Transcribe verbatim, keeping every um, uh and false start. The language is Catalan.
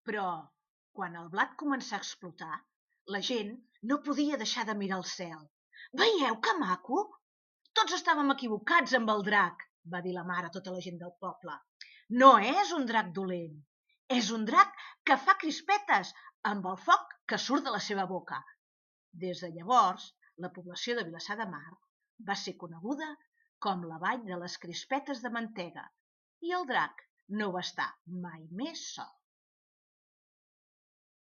Però, quan el blat començà a explotar, la gent no podia deixar de mirar el cel. «Veieu que maco?» «Tots estàvem equivocats amb el drac», va dir la mare a tota la gent del poble. «No és un drac dolent, és un drac que fa crispetes amb el foc que surt de la seva boca». Des de llavors, la població de Vilassar de Mar va ser coneguda com la vall de les crispetes de mantega i el drac no va estar mai més sol.